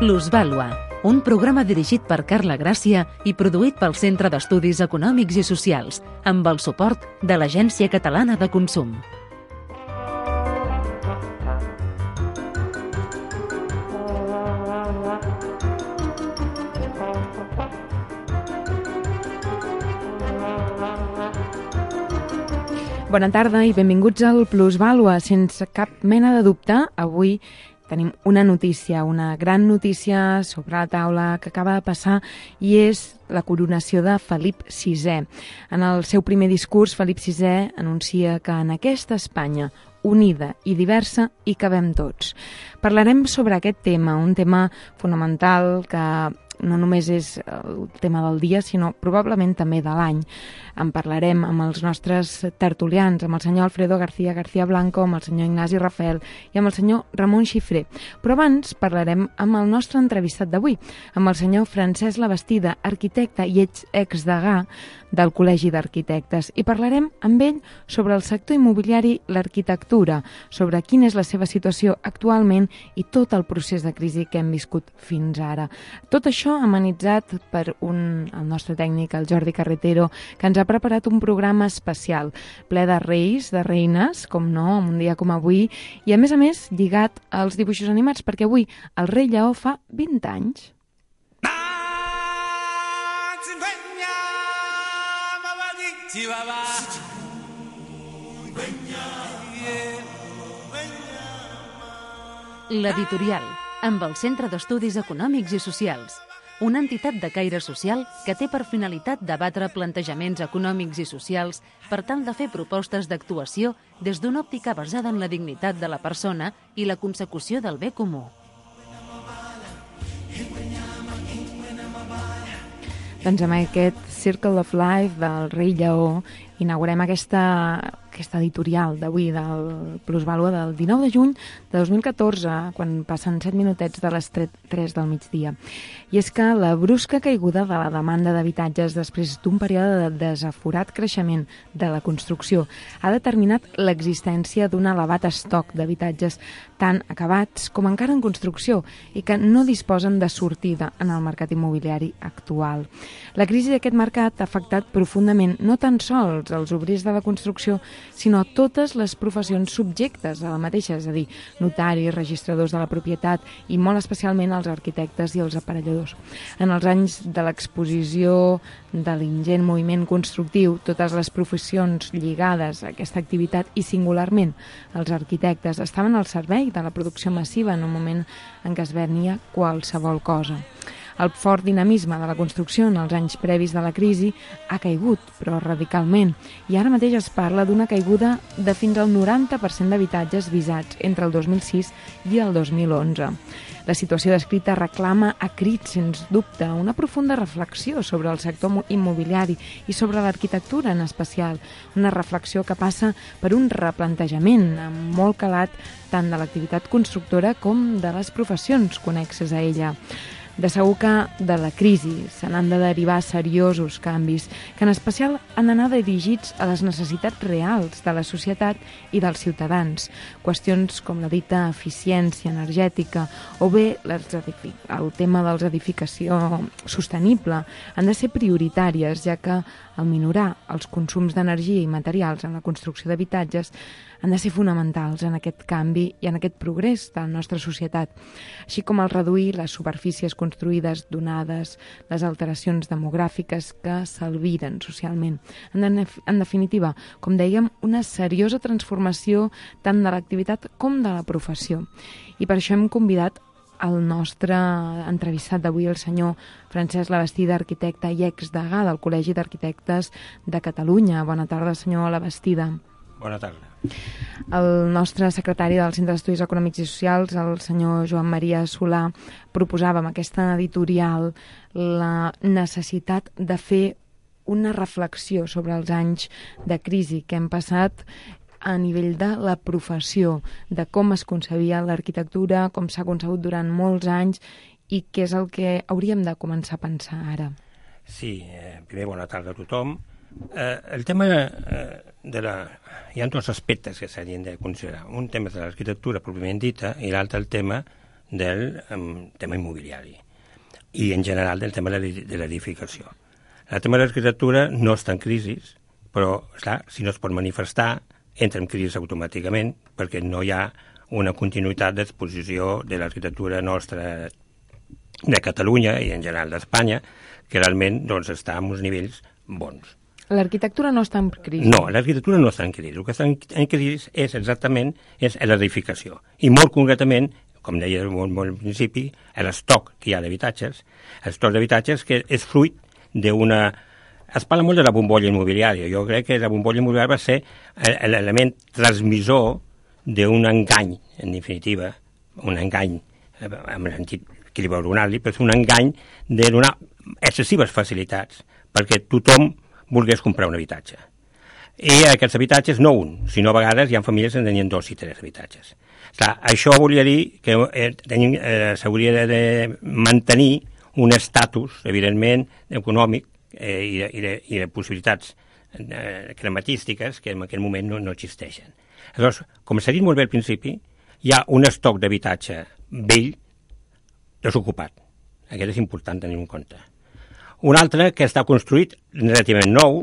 Plusvàlua, un programa dirigit per Carla Gràcia i produït pel Centre d'Estudis Econòmics i Socials, amb el suport de l'Agència Catalana de Consum. Bona tarda i benvinguts al Plusvàlua. Sense cap mena de dubte, avui tenim una notícia, una gran notícia sobre la taula que acaba de passar i és la coronació de Felip VI. En el seu primer discurs, Felip VI anuncia que en aquesta Espanya unida i diversa hi cabem tots. Parlarem sobre aquest tema, un tema fonamental que no només és el tema del dia, sinó probablement també de l'any. En parlarem amb els nostres tertulians, amb el senyor Alfredo García Blanco, amb el senyor Ignasi Rafael i amb el senyor Ramon Xifré. Però abans parlarem amb el nostre entrevistat d'avui, amb el senyor Francesc Labastida, arquitecte i exdegà del Col·legi d'Arquitectes. I parlarem amb ell sobre el sector immobiliari, l'arquitectura, sobre quina és la seva situació actualment i tot el procés de crisi que hem viscut fins ara. Tot això amenitzat per el nostre tècnic, el Jordi Carretero, que ens ha preparat un programa especial, ple de reis, de reines, com no, en un dia com avui, i a més lligat als dibuixos animats, perquè avui el rei Lleó fa 20 anys. L'editorial, amb el Centre d'Estudis Econòmics i Socials, una entitat de caire social que té per finalitat debatre plantejaments econòmics i socials per tal de fer propostes d'actuació des d'una òptica basada en la dignitat de la persona i la consecució del bé comú. Doncs amb aquest Circle of Life del rei Lleó inaugurem aquesta editorial d'avui del Plusvàlua del 19 de juny de 2014, quan passen 7 minutets de les 3 del migdia. I és que la brusca caiguda de la demanda d'habitatges després d'un període de desaforat creixement de la construcció ha determinat l'existència d'un elevat estoc d'habitatges tan acabats com encara en construcció i que no disposen de sortida en el mercat immobiliari actual. La crisi d'aquest mercat ha afectat profundament no tan sols els obrers de la construcció, sinó totes les professions subjectes a la mateixa, és a dir, notaris, registradors de la propietat i molt especialment els arquitectes i els aparelladors. En els anys de l'exposició de l'ingent moviment constructiu, totes les professions lligades a aquesta activitat i singularment els arquitectes estaven al servei de la producció massiva en un moment en què es venia qualsevol cosa. El fort dinamisme de la construcció en els anys previs de la crisi ha caigut, però radicalment, i ara mateix es parla d'una caiguda de fins al 90% d'habitatges visats entre el 2006 i el 2011. La situació descrita reclama a crits, sens dubte, una profunda reflexió sobre el sector immobiliari i sobre l'arquitectura en especial, una reflexió que passa per un replantejament amb molt calat tant de l'activitat constructora com de les professions connexes a ella. De segur que de la crisi se n'han de derivar seriosos canvis que en especial han d'anar dirigits a les necessitats reals de la societat i dels ciutadans. Qüestions com la dita eficiència energètica o bé el tema de l'edificació sostenible han de ser prioritàries, ja que al minorar els consums d'energia i materials en la construcció d'habitatges han de ser fonamentals en aquest canvi i en aquest progrés de la nostra societat, així com el reduir les superfícies construïdes donades les alteracions demogràfiques que s'albiren socialment. En definitiva, com dèiem, una seriosa transformació tant de l'activitat com de la professió. I per això hem convidat el nostre entrevistat d'avui, el senyor Francesc Labastida, arquitecte i exdegà del Col·legi d'Arquitectes de Catalunya. Bona tarda, senyor Labastida. Bona tarda. El nostre secretari del Centre d'Estudis Econòmics i Socials, el senyor Joan Maria Solà, proposava amb aquesta editorial la necessitat de fer una reflexió sobre els anys de crisi que hem passat a nivell de la professió, de com es concebia l'arquitectura, com s'ha concebut durant molts anys i què és el que hauríem de començar a pensar ara. Sí, primer bona tarda a tothom. El tema de la... Hi ha dos aspectes que s'haurien de considerar. Un tema de l'arquitectura pròpiament dita i l'altre el tema del tema immobiliari i, en general, del tema de l'edificació. El tema de l'arquitectura no està en crisi, però, esclar, si no es pot manifestar, entra en crisi automàticament, perquè no hi ha una continuïtat d'exposició de l'arquitectura nostra de Catalunya i, en general, d'Espanya, que realment doncs, està en uns nivells bons. L'arquitectura no està en crisi? No, l'arquitectura no està en crisi. El que està en crisi és exactament l'edificació. I molt concretament, com deia molt al principi, l'estoc que hi ha d'habitatges, l'estoc d'habitatges que és fruit d'una... Es parla molt de la bombolla immobiliària. Jo crec que la bombolla immobiliària va ser l'element transmissor d'un engany, en definitiva, un engany, amb el sentit que li va donar-li, però és un engany de donar excessives facilitats perquè tothom volgués comprar un habitatge. I aquests habitatges, no un, sinó a vegades hi ha famílies que en tenien 2 i 3 habitatges. Clar, això volia dir que s'hauria de mantenir un estatus, evidentment, econòmic i de possibilitats crematístiques que en aquell moment no existeixen. Llavors, com s'ha dit molt bé al principi, hi ha un estoc d'habitatge vell desocupat. Aquest és important tenir en compte. Un altre que està construït relativament nou,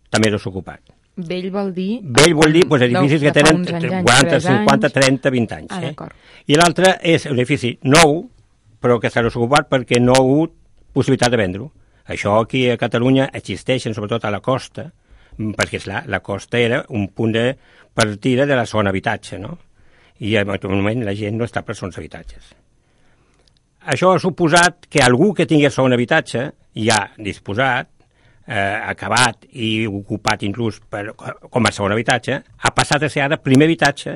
també desocupat. Vell vol dir... Vell vol dir edificis que tenen 40, 50, 30, 20 anys. D'acord. I l'altre és un edifici nou, però que està desocupat perquè no ha hagut possibilitat de vendre-ho. Això aquí a Catalunya existeixen, sobretot a la costa, perquè, esclar, la costa era un punt de partida de la zona habitatge, no? I en aquest moment la gent no està per zones habitatges. Això ha suposat que algú que tingués segon habitatge, ja disposat, acabat i ocupat inclús com a segon habitatge, ha passat a ser ara primer habitatge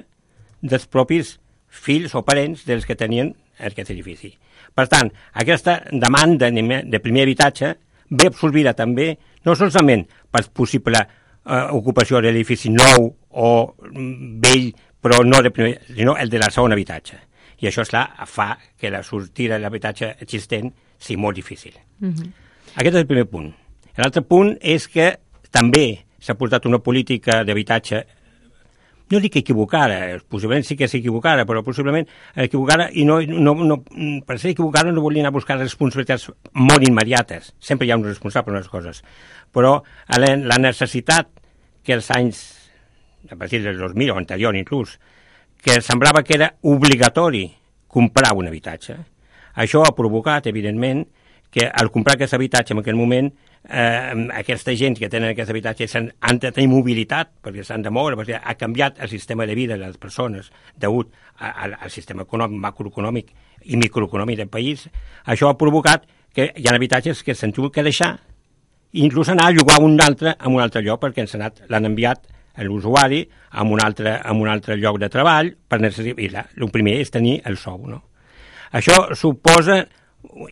dels propis fills o parents dels que tenien aquest edifici. Per tant, aquesta demanda de primer habitatge ve absorbida també no solament per possible ocupació de l'edifici nou o vell, però no de primer, sinó el de la segon habitatge. I això, esclar, fa que la sortida de l'habitatge existent sigui molt difícil. Aquest és el primer punt. L'altre punt és que també s'ha portat una política d'habitatge, no dic equivocada, possiblement sí que és equivocada, però possiblement equivocada, i per ser equivocada no volia anar a buscar responsabilitats molt immediates. Sempre hi ha un responsable per unes coses. Però la necessitat que els anys, a partir del 2000 o anterior inclús, que semblava que era obligatori comprar un habitatge. Això ha provocat, evidentment, que al comprar aquest habitatge en aquell moment, aquesta gent que tenen aquest habitatge han de tenir mobilitat, perquè s'han de moure, perquè ha canviat el sistema de vida de les persones degut al sistema econòmic, macroeconòmic i microeconòmic del país. Això ha provocat que hi ha habitatges que s'han tingut que deixar i inclús anar a llogar un altre en un altre lloc, perquè l'han enviat a l'usuari en un altre lloc de treball per necessitar. El primer és tenir el sou, no? Això suposa,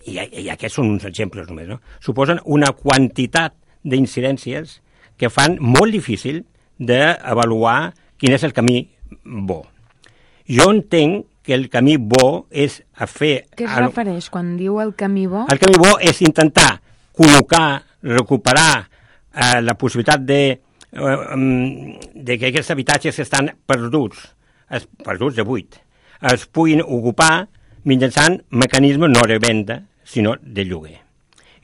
i aquests són uns exemples només, no? Suposen una quantitat d'incidències que fan molt difícil d'avaluar quin és el camí bo. Jo entenc que el camí bo és a fer... Què es refereix quan diu el camí bo? El camí bo és intentar col·locar, recuperar la possibilitat de que aquests habitatges que estan perduts de buit, es puguin ocupar mitjançant mecanismes no de venda, sinó de lloguer.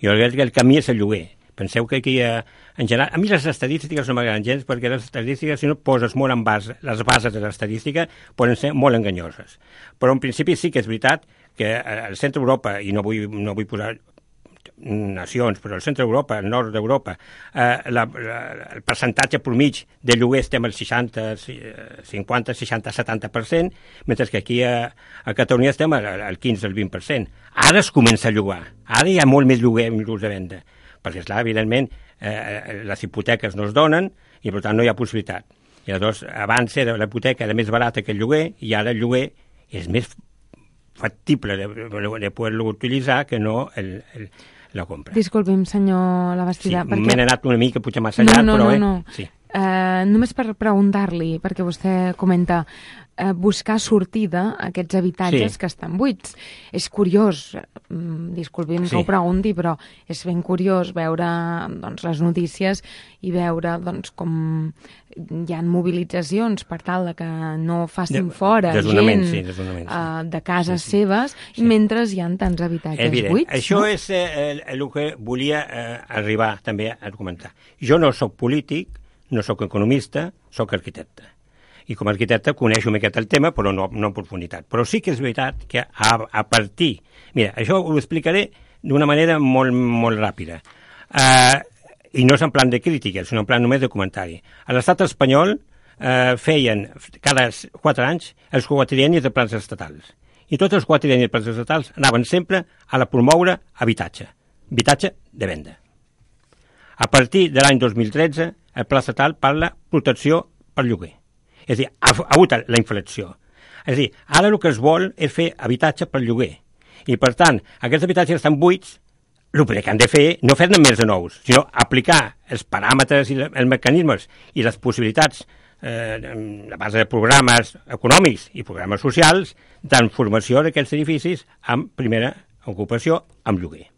Jo crec que el camí és el lloguer. Penseu que aquí, en general, a mi les estadístiques no m'agraden gens, perquè les estadístiques, si no poses molt en base, les bases de l'estadística poden ser molt enganyoses. Però en principi sí que és veritat que al centre d'Europa, i no vull posar nacions, però al centre d'Europa, al nord d'Europa, el percentatge mitjà de lloguer estem al 60, 50, 60, 70%, mentre que aquí a Catalunya estem al 15, al 20%. Ara es comença a llogar, ara hi ha molt més lloguer inclús de venda, perquè, esclar, evidentment, les hipoteques no es donen i, per tant, no hi ha possibilitat. I llavors, abans la hipoteca era més barata que el lloguer i ara el lloguer és més factible de poder-lo utilitzar que no la compra. Disculpi'm, senyor Labastida. Sí, m'he anat una mica potser massa llarg, però... No. Sí. només per preguntar-li, perquè vostè comenta buscar sortida a aquests habitatges que estan buits. És curiós, disculpi'm que ho pregunti, però és ben curiós veure les notícies i veure com hi ha mobilitzacions per tal que no facin fora gent de cases seves, mentre hi ha tants habitatges buits. Això és el que volia arribar també a comentar. Jo no sóc polític, no sóc economista, sóc arquitecte. I com a arquitecte coneixo una miqueta el tema, però no en profunditat. Però sí que és veritat que a partir... Mira, això ho explicaré d'una manera molt, molt ràpida. I no és en plan de crítica, sinó en plan només de comentari. A l'estat espanyol feien cada 4 anys els quatriennis de plans estatals. I tots els quatriennis de plans estatals anaven sempre a la promoure habitatge de venda. A partir de l'any 2013, el pla estatal parla protecció per lloguer. És a dir, ha hagut la inflexió. És a dir, ara el que es vol és fer habitatge per lloguer. I, per tant, aquests habitatges estan buits, el que han de fer, no fer-ne més de nous, sinó aplicar els paràmetres i els mecanismes i les possibilitats a base de programes econòmics i programes socials transformació d'aquests edificis amb primera ocupació amb lloguer.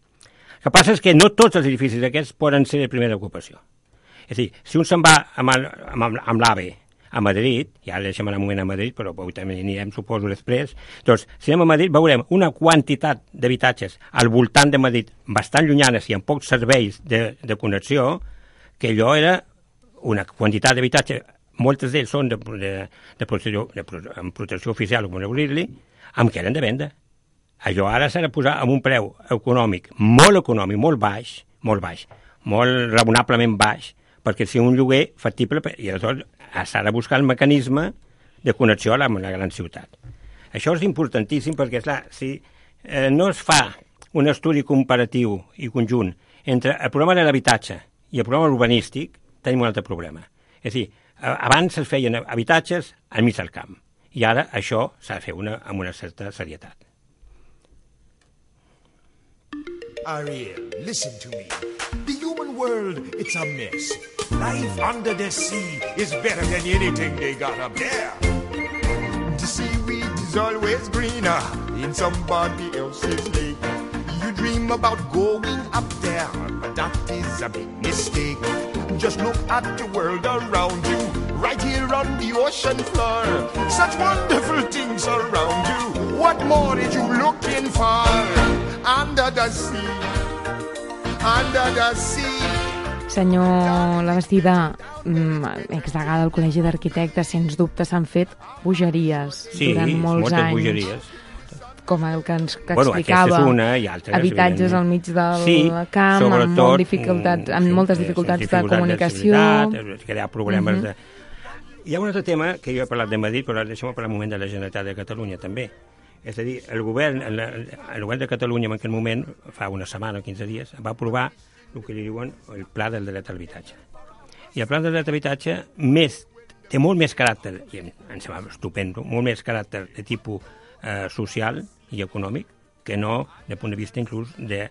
El que passa és que no tots els edificis aquests poden ser de primera ocupació. És a dir, si un se'n va amb l'AVE a Madrid, ja deixem anar un moment a Madrid, però avui també anirem, suposo, després. Doncs, si anem a Madrid, veurem una quantitat d'habitatges al voltant de Madrid bastant llunyanes i amb pocs serveis de connexió, que allò era una quantitat d'habitatge, moltes d'ells són amb protecció oficial, com voleu dir-li, amb que eren de venda. Allò ara s'ha de posar amb un preu econòmic, molt baix, molt raonablement baix, perquè si un lloguer factible, i aleshores s'ha de buscar el mecanisme de connexió a la gran ciutat. Això és importantíssim perquè, clar, si no es fa un estudi comparatiu i conjunt entre el problema de l'habitatge i el problema urbanístic, tenim un altre problema. És a dir, abans es feien habitatges al mig del camp, i ara això s'ha de fer amb una certa serietat. Ariel, listen to me. The human world, it's a mess. Life under the sea is better than anything they got up there. The seaweed is always greener in somebody else's lake. You dream about going up there, but that is a big mistake. Just look at the world around you, right here on the ocean floor. Such wonderful things around you. What more are you looking for? Under the sea, under the sea. Senyor Labastida, exdegà del Col·legi d'Arquitectes, sens dubte s'han fet bogeries durant molts anys. Bogeries. Com el que ens explicava, habitatges al mig del camp, amb moltes dificultats de comunicació. Crear problemes de... Hi ha un altre tema que jo he parlat de Madrid, però deixem-ho parlar un moment de la Generalitat de Catalunya també. És a dir, el govern de Catalunya en aquell moment, fa una setmana o 15 dies, va aprovar el que li diuen el Pla del Dret a l'Habitatge. I el Pla del Dret a l'Habitatge té molt més caràcter, i em sembla estupendo, molt més caràcter de tipus social i econòmic que no de punt de vista inclús que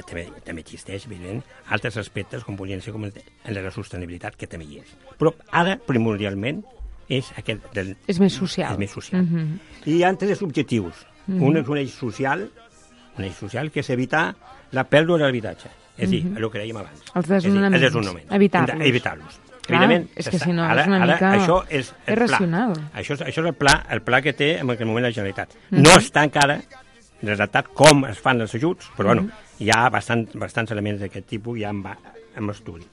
també existeix, evident, altres aspectes com podrien ser com el de la sostenibilitat, que també hi és. Però ara, primordialment, és aquest... És més social. És més social. I hi ha tres objectius. Un és un eix social, que és evitar la pèrdua de l'habitatge. És a dir, el que dèiem abans. Els desnonaments. Evitar-los. Evidentment, és que si no és una mica irracional. Això és el pla que té en aquell moment la Generalitat. No està encara redactat com es fan els ajuts, però bueno, hi ha bastants elements d'aquest tipus ja en estudi.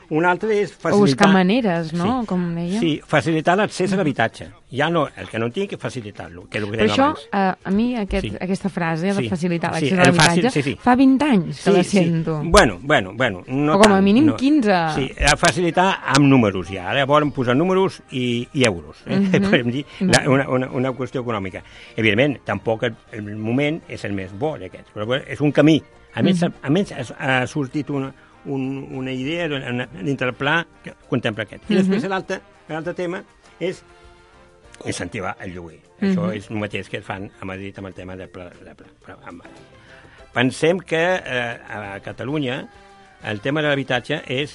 Un altre és facilitar... O buscar maneres, no? Com dèiem. Sí, facilitar l'accés a l'habitatge. Ja no, el que no tinc, facilitar-lo, que és el que dèiem abans. Però això, a mi, aquesta frase de facilitar l'accés a l'habitatge, fa 20 anys que la sento. Bueno, no tant. O com a mínim 15. Sí, facilitar amb números ja. Ara volen posar números i euros. Podem dir, una qüestió econòmica. Evidentment, tampoc el moment és el més bo d'aquests, però és un camí. A més, ha sortit una idea dintre el pla que contempla aquest. I després l'altre tema és incentivar el lloguer. Això és el mateix que es fan a Madrid amb el tema del pla. Pensem que a Catalunya el tema de l'habitatge és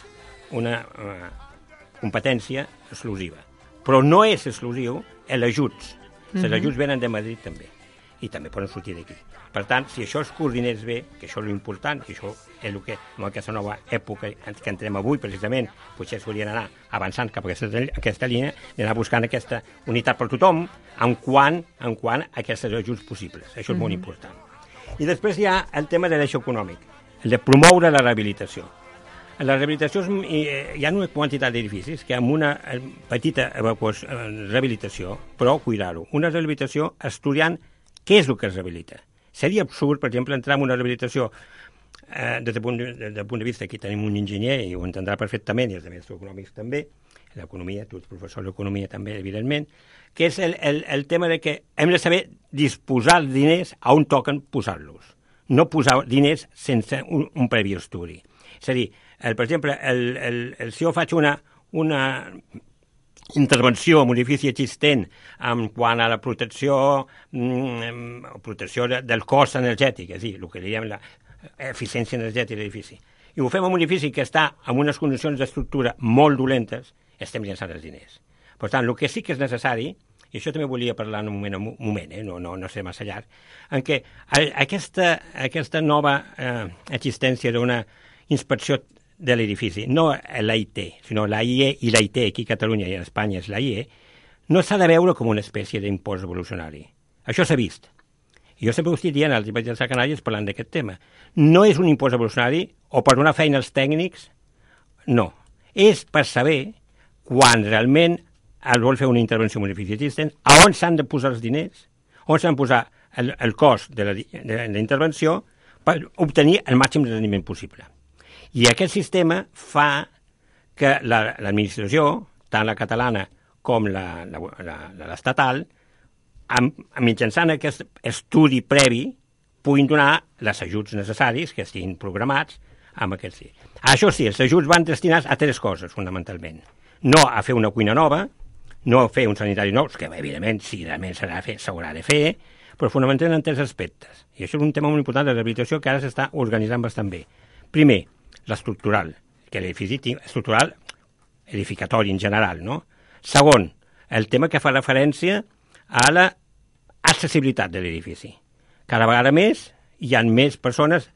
competència exclusiva. Però no és exclusiu els ajuts. Els ajuts venen de Madrid també, i també poden sortir d'aquí. Per tant, si això es coordinés bé, que això és l'important, que això és el que en aquesta nova època que entrem avui, precisament, potser s'haurien d'anar avançant cap a aquesta línia, d'anar buscant aquesta unitat per tothom en quant a aquests ajuts possibles. Això és molt important. I després hi ha el tema de l'eix econòmic, el de promoure la rehabilitació. En la rehabilitació hi ha una quantitat d'edificis que amb una petita rehabilitació, però cuidar-ho, una rehabilitació estudiant què és el que es rehabilita. Seria absurd, per exemple, entrar en una rehabilitació des del punt de vista, aquí tenim un enginyer i ho entendrà perfectament, i els altres econòmics també, l'economia, tu ets professor d'economia també, evidentment, que és el tema de que hem de saber disposar els diners a on toquen posar-los. No posar diners sense un previ estudi. És a dir, per exemple, si jo faig una intervenció en un edifici existent en quant a la protecció del cost energètic, és a dir, el que diem l'eficiència energètica de l'edifici, i ho fem en un edifici que està en unes condicions d'estructura molt dolentes, estem llançant els diners. Per tant, el que sí que és necessari, i això també volia parlar en un moment, no sé massa llarg, en què aquesta nova existència d'una inspecció de l'edifici, no l'AIT, sinó l'AIE i l'AIT, aquí a Catalunya i a Espanya és l'AIE, no s'ha de veure com una espècie d'impost evolucionari. Això s'ha vist. I jo sempre ho estic dient als Llibertats de Canàries parlant d'aquest tema. No és un impost evolucionari o per donar feina als tècnics, no. És per saber quan realment es vol fer una intervenció en un edifici existent, a on s'han de posar els diners, on s'han de posar el cost de la intervenció per obtenir el màxim de rendiment possible. I aquest sistema fa que l'administració, tant la catalana com l'estatal, mitjançant aquest estudi previ, puguin donar els ajuts necessaris que estiguin programats amb aquest. Això sí, els ajuts van destinats a tres coses, fonamentalment. No a fer una cuina nova, no a fer un sanitari nou, que evidentment, si realment s'haurà de fer, però fonamentalment en tres aspectes. I això és un tema molt important de rehabilitació que ara s'està organitzant bastant bé. Primer, l'estructural, que l'edifici estructural, edificatori en general, no? Segon, el tema que fa referència a l'accessibilitat de l'edifici. Cada vegada més hi ha més persones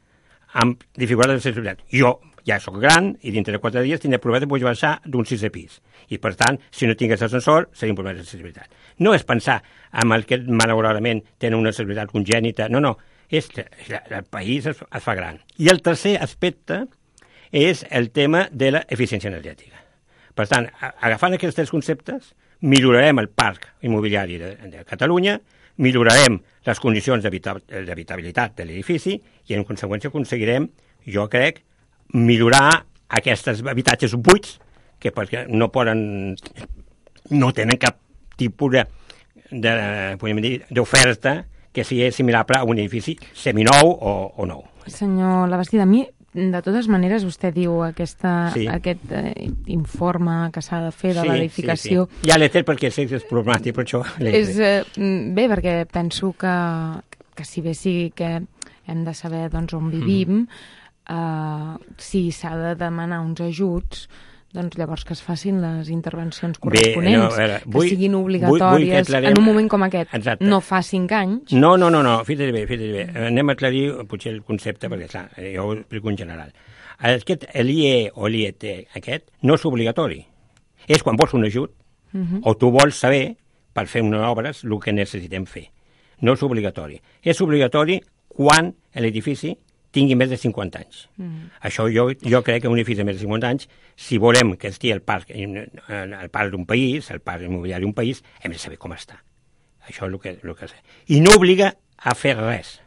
amb dificultats d'accessibilitat. Jo ja soc gran i dintre de 4 dies tindré problemes de poder baixar d'un 6è pis. I, per tant, si no tingués ascensor, seria un problema d'accessibilitat. No és pensar en el que, malauradament, tenen una accessibilitat congènita. No, és que el país es fa gran. I el tercer aspecte és el tema de l'eficiència energètica. Per tant, agafant aquests tres conceptes, millorarem el parc immobiliari de Catalunya, millorarem les condicions d'habitabilitat de l'edifici i, en conseqüència, aconseguirem, jo crec, millorar aquests habitatges buits que perquè no tenen cap tipus d'oferta que sigui similar a un edifici seminou o nou. Senyor Labastida, a mi, de totes maneres, vostè diu aquest informe que s'ha de fer de l'edificació... Sí. Ja l'he fet perquè sé que és problemàtic, per això l'he fet. Bé, perquè penso que si bé sigui que hem de saber on vivim, si s'ha de demanar uns ajuts, doncs llavors que es facin les intervencions corresponents, que siguin obligatòries en un moment com aquest. Exacte. No fa 5 anys. No, fixa't bé. Anem a aclarir potser el concepte, perquè clar, jo ho explico en general. L'IE o l'IET aquest no és obligatori. És quan vols un ajut o tu vols saber, per fer unes obres, el que necessitem fer. No és obligatori. És obligatori quan l'edifici tingui més de 50 anys. Això jo crec que un edifici de més de 50 anys, si volem que estigui el parc d'un país, el parc immobiliari d'un país, hem de saber com està. Això és el que sé. I no obliga a fer res,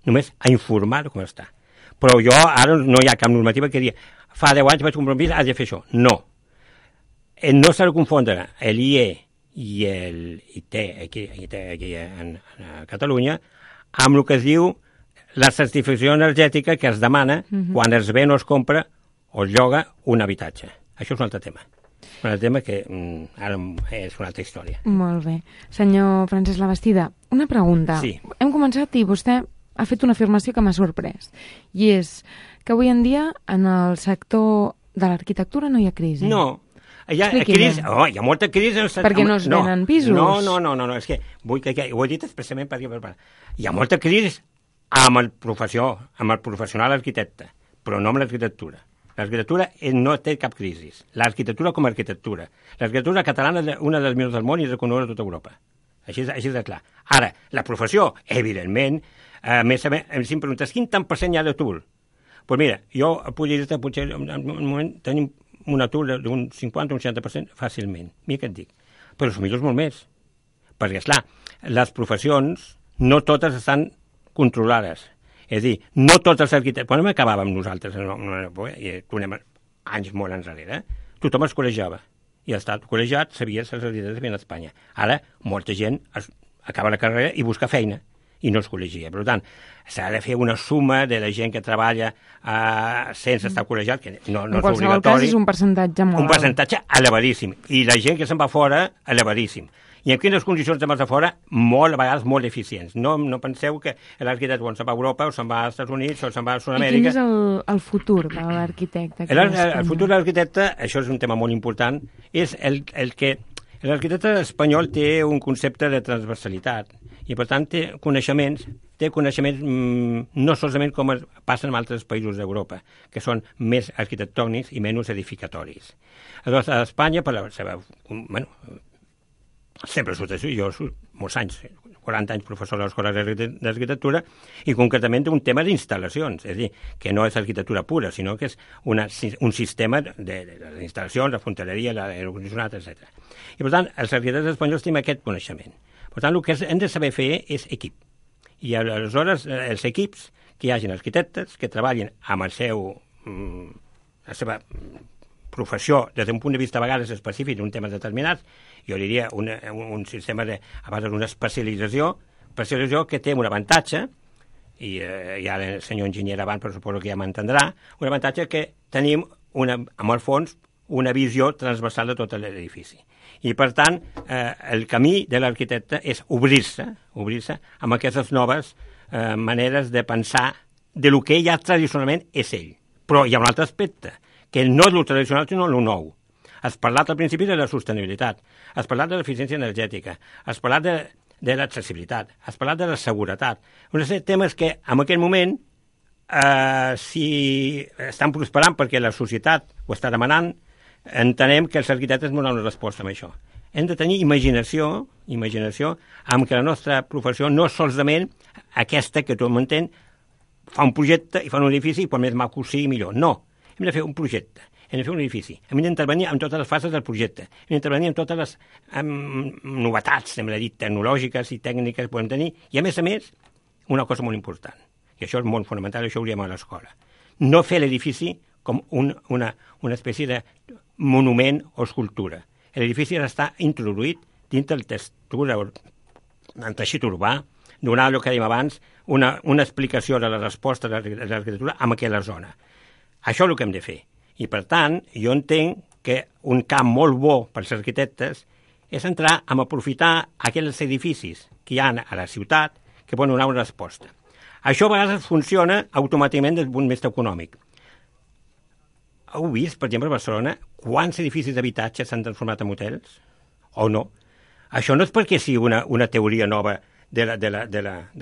només a informar com està. Però ara no hi ha cap normativa que digui fa 10 anys vaig comprar un pis, has de fer això. No. No s'ha de confondre l'IE i l'IT aquí a Catalunya amb el que es diu la certificació energètica que es demana quan es ven o es compra o es lloga un habitatge. Això és un altre tema. Un altre tema que ara és una altra història. Molt bé. Senyor Francesc Labastida, una pregunta. Sí. Hem començat i vostè ha fet una afirmació que m'ha sorprès. I és que avui en dia en el sector de l'arquitectura no hi ha crisi. No. hi ha molta crisi... Perquè no es venen pisos? No, és que vull que ho he dit expressament perquè hi ha molta crisi amb el professional arquitecte, però no amb l'arquitectura. L'arquitectura no té cap crisi. L'arquitectura com a arquitectura. L'arquitectura catalana és una de les millors del món i és reconeguda a tota Europa. Així de clar. Ara, la professió, evidentment, a més, si em preguntes quin tant % hi ha d'atur? Doncs mira, jo podria dir-te, potser en un moment tenim un atur d'un 50 o un 60% fàcilment. Mira què et dic. Però millor és molt més. Perquè, esclar, les professions no totes estan controlades. És a dir, no tots els arquitectes... Quan acabàvem nosaltres, i tornem anys molt enrere, tothom es col·legiava. I el estat col·legiat sabia les arquitectes que a Espanya. Ara, molta gent acaba la carrera i busca feina i no es col·legia. Per tant, s'ha de fer una suma de la gent que treballa sense estar col·legiat, que no és obligatori. En qualsevol cas és un percentatge molt alt. Un percentatge elevadíssim. I la gent que se'n va fora, elevadíssim. I en quines condicions de de fora? A vegades molt eficients. No penseu que l'arquitecte quan se'n va a Europa o se'n va als Estats Units o se'n va a Sud-amèrica... I quin és el futur de l'arquitecte? El futur de l'arquitecte, això és un tema molt important, és el que l'arquitecte espanyol té un concepte de transversalitat i, per tant, té coneixements no solament com passen en altres països d'Europa, que són més arquitectònics i menys edificatoris. Aleshores, a Espanya, per la seva... sempre surt així, jo molts anys, 40 anys professor a l'Escola d'Arquitectura, i concretament un tema d'instal·lacions, és a dir, que no és arquitectura pura, sinó que és un sistema de les instal·lacions, la fontaneria, l'aire condicionat, etc. I, per tant, els arquitectes espanyols tenim aquest coneixement. Per tant, el que hem de saber fer és equip. I aleshores, els equips, que hi hagin arquitectes que treballin amb la seva professió des d'un punt de vista a vegades específic d'un tema determinat, jo diria un sistema a base d'una especialització que té un avantatge, i ja el senyor enginyer abans, però suposo que ja m'entendrà, un avantatge que tenim, amb el fons, una visió transversal de tot l'edifici. I, per tant, el camí de l'arquitecte és obrir-se amb aquestes noves maneres de pensar de lo que ja tradicionalment és ell. Però hi ha un altre aspecte, que no és el tradicional, sinó el nou. Has parlat al principi de la sostenibilitat, has parlat de l'eficiència energètica, has parlat de l'accessibilitat, has parlat de la seguretat. Uns temes que, en aquest moment, si estan prosperant perquè la societat ho està demanant, entenem que els arquitectes donen una resposta a això. Hem de tenir imaginació amb que la nostra professió no és solament aquesta que tothom entén, fa un projecte i fa un edifici i per més maco sigui millor. No. Hem de fer un projecte, hem de fer un edifici, hem d'intervenir en totes les fases del projecte, hem d'intervenir en totes les novetats, hem de dir, tecnològiques i tècniques que podem tenir, i a més, una cosa molt important, i això és molt fonamental, això ho diem a l'escola, no fer l'edifici com una espècie de monument o escultura. L'edifici ha d'estar introduït dins del textura, del teixit urbà, donar el que dèiem abans, una explicació de la resposta de l'arquitectura en aquella zona. Això és el que hem de fer. I, per tant, jo entenc que un camp molt bo per als arquitectes és entrar a aprofitar aquells edificis que hi ha a la ciutat que poden donar una resposta. Això a vegades funciona automàticament des d'un punt de vista econòmic. Heu vist, per exemple, a Barcelona, quants edificis d'habitatge s'han transformat en hotels? O no? Això no és perquè sigui una teoria nova de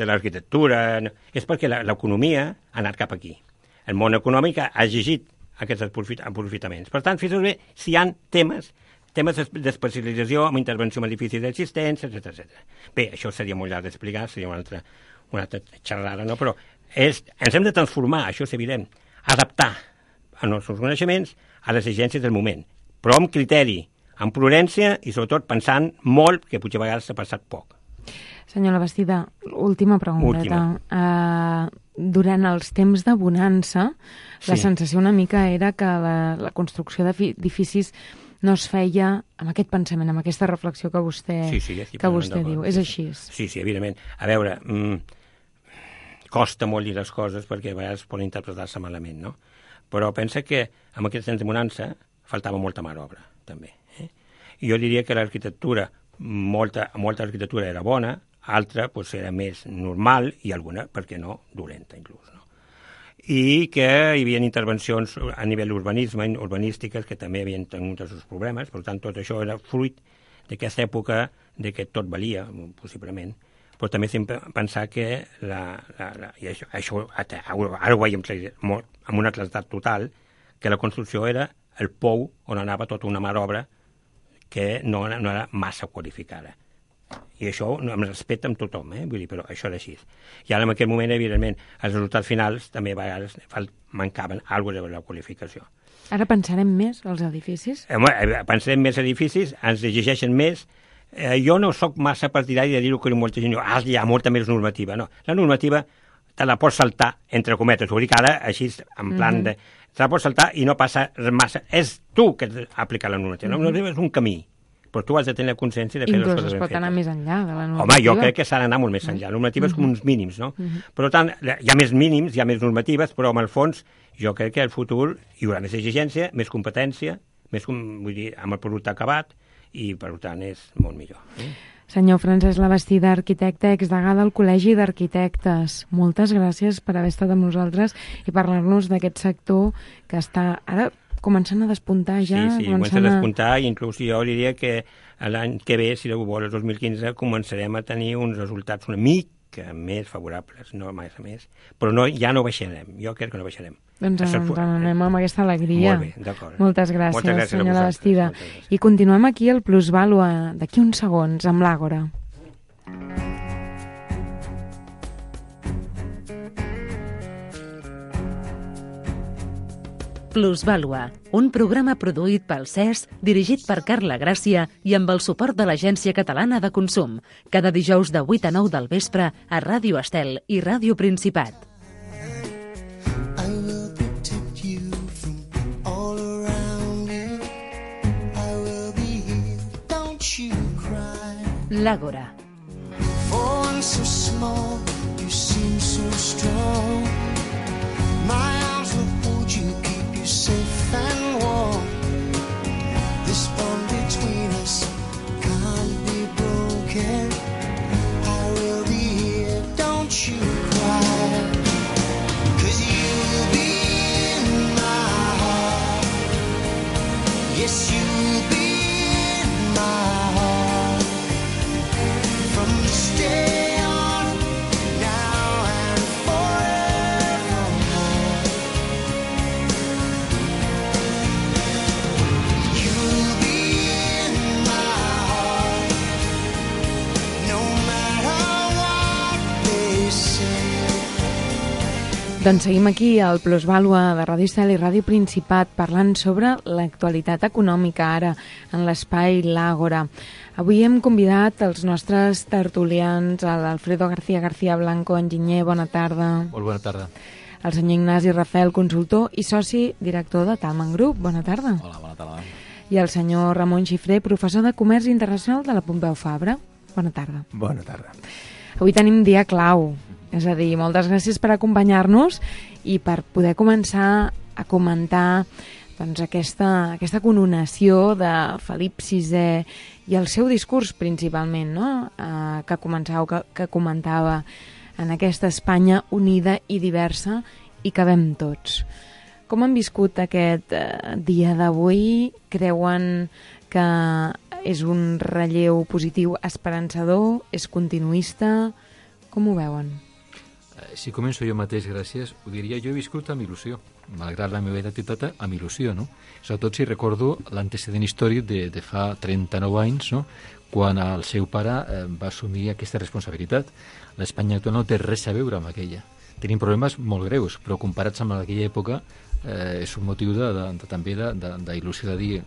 l'arquitectura, és perquè l'economia ha anat cap aquí. El món econòmic ha exigit aquests aprofitaments. Per tant, fixeu bé si hi ha temes d'especialització amb intervenció en edificis existents, etc. Bé, això seria molt llarg d'explicar, seria una altra xerrada, no? Però ens hem de transformar, això és evident, adaptar els nostres coneixements a les exigències del moment, però amb criteri, amb prudència i sobretot pensant molt, que potser a vegades s'ha passat poc. Senyor Labastida, última pregunta. Durant els temps de bonança, la sensació una mica era que la construcció d'edificis no es feia amb aquest pensament, amb aquesta reflexió que vostè diu. És així? Sí, evidentment. A veure, costa molt dir les coses perquè a vegades poden interpretar-se malament, no? Però pensa que amb aquests temps de bonança faltava molta mà d'obra, també. I jo diria que l'arquitectura, molta arquitectura era bona, altra era més normal i alguna, per què no, dolenta inclús. No? i que hi havia intervencions a nivell urbanístiques que també havien tingut els seus problemes, per tant tot això era fruit d'aquesta època de que tot valia, possiblement, però també sempre pensar que i això ara ho veiem molt, amb una claredat total, que la construcció era el pou on anava tota una mà d'obra que no era massa qualificada. I això em respecta amb tothom, vull dir, però això era així. I ara en aquell moment, evidentment, els resultats finals també a vegades mancaven alguna de la qualificació. Ara pensarem més als edificis? Pensarem més edificis, ens exigeixen més. Jo no sóc massa partidari de dir-ho que molta gent diu, hi ha molta més normativa. No, la normativa te la pots saltar, entre cometes. Ho dic ara, així, en plan de... Te la pots saltar i no passa massa. És tu que has d'aplicar la normativa. La normativa és un camí, però tu has de tenir consciència de fer les coses ben fetes. Inclús es pot anar més enllà de la normativa. Home, jo crec que s'ha d'anar molt més enllà. La normativa és com uns mínims, no? Per tant, hi ha més mínims, hi ha més normatives, però en el fons jo crec que al futur hi haurà més exigència, més competència, vull dir, amb el producte acabat, i per tant és molt millor. Senyor Francesc Labastida, arquitecte, exdegà del Col·legi d'Arquitectes, moltes gràcies per haver estat amb nosaltres i parlar-nos d'aquest sector que està ara començant a despuntar ja. Sí, comença a despuntar i inclús jo diria que l'any que ve, si Déu vol, el 2015, començarem a tenir uns resultats una mica més favorables, no massa més, però ja no baixarem, jo crec que no baixarem. Doncs ens anem amb aquesta alegria. Molt bé, d'acord. Moltes gràcies, senyor Labastida. I continuem aquí al Plusvàlua, d'aquí uns segons, amb l'Àgora. Plusvàlua, un programa produït pel CES, dirigit per Carla Gràcia i amb el suport de l'Agència Catalana de Consum, cada dijous de 8 a 9 del vespre a Ràdio Estel i Ràdio Principat. L'Àgora. For one so small, you seem so strong. My arms will hold you, keep you safe and warm. This bond between us can't be broken. I will be here, don't you cry. 'Cause you'll be in my heart. Yes, you'll be in my heart. Stay on now and forevermore. You'll be in my heart, no matter what they say. Doncs seguim aquí al Plusvàlua de Ràdio Estel i Ràdio Principat parlant sobre l'actualitat econòmica ara en l'espai L'Àgora. Avui hem convidat els nostres tertulians, l'Alfredo García Blanco, enginyer, bona tarda. Molt bona tarda. El senyor Ignasi Rafel, consultor i soci director de Talman Group, bona tarda. Hola, bona tarda. I el senyor Ramon Xifré, professor de Comerç Internacional de la Pompeu Fabra, bona tarda. Bona tarda. Avui tenim dia clau, és a dir, moltes gràcies per acompanyar-nos i per poder començar a comentar doncs, aquesta coronació de Felip VI i el seu discurs principalment, no? que comentava en aquesta Espanya unida i diversa i que cabem tots. Com han viscut aquest dia d'avui? Creuen que és un relleu positiu esperançador? És continuista? Com ho veuen? Si començo jo mateix, gràcies, ho diria, jo he viscut amb il·lusió, malgrat la meva edat i tota, amb il·lusió, no? Sobretot si recordo l'antecedent històric de fa 39 anys, no? Quan el seu pare va assumir aquesta responsabilitat. L'Espanya actual no té res a veure amb aquella. Tenim problemes molt greus, però comparats amb aquella època és un motiu també d'il·lusió de dir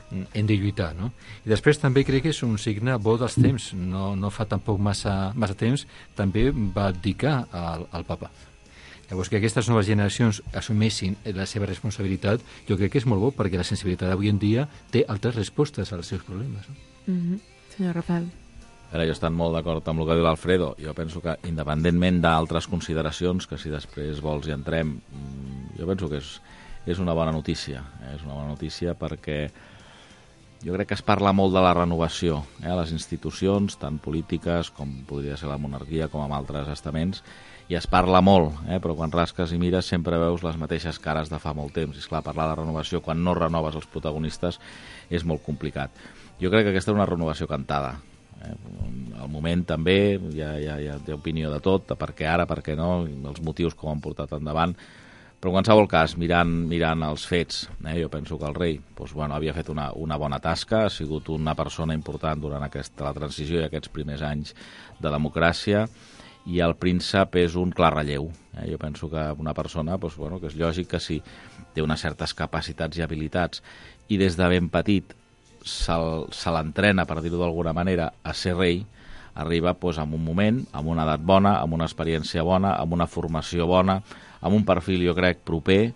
hem de lluitar, no? I després també crec que és un signe bo dels temps. No fa tampoc massa temps també va abdicar al papa. Llavors, que aquestes noves generacions assumeixin la seva responsabilitat, jo crec que és molt bo, perquè la sensibilitat d'avui en dia té altres respostes als seus problemes. No? Senyor Rafael. Ara, jo estic molt d'acord amb el que diu l'Alfredo. Jo penso que, independentment d'altres consideracions, que si després vols hi entrem, jo penso que és una bona notícia. És una bona notícia perquè jo crec que es parla molt de la renovació a les institucions, tant polítiques com podria ser la monarquia, com amb altres estaments, i es parla molt, però quan rasques i mires sempre veus les mateixes cares de fa molt temps. I esclar, parlar de renovació quan no renoves els protagonistes és molt complicat. Jo crec que aquesta és una renovació cantada. Al moment també hi ha opinió de tot, de per què ara, per què no, els motius que ho han portat endavant, però en qualsevol cas, mirant els fets, jo penso que el rei havia fet una bona tasca, ha sigut una persona important durant la transició i aquests primers anys de democràcia, i el príncep és un clar relleu. Jo penso que una persona, que és lògic que si té unes certes capacitats i habilitats i des de ben petit se l'entrena, per dir-ho d'alguna manera, a ser rei, arriba en un moment, amb una edat bona, amb una experiència bona, amb una formació bona, amb un perfil, jo crec, proper,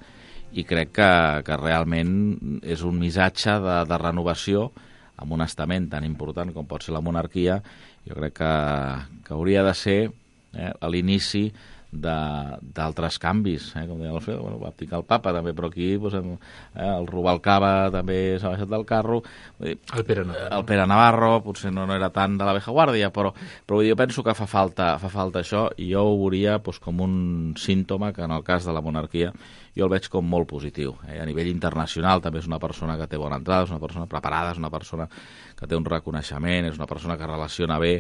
i crec que realment és un missatge de renovació amb un estament tan important com pot ser la monarquia. Jo crec que hauria de ser a l'inici d'altres canvis, com deia l'Alfredo, va abdicar el papa també, però aquí el Rubalcaba també s'ha baixat del carro, el Pere Navarro potser no era tant de la vieja guàrdia, però jo penso que fa falta això, i jo ho veuria com un símptoma que en el cas de la monarquia jo el veig com molt positiu. A nivell internacional també és una persona que té bona entrada, és una persona preparada, és una persona que té un reconeixement, és una persona que relaciona bé.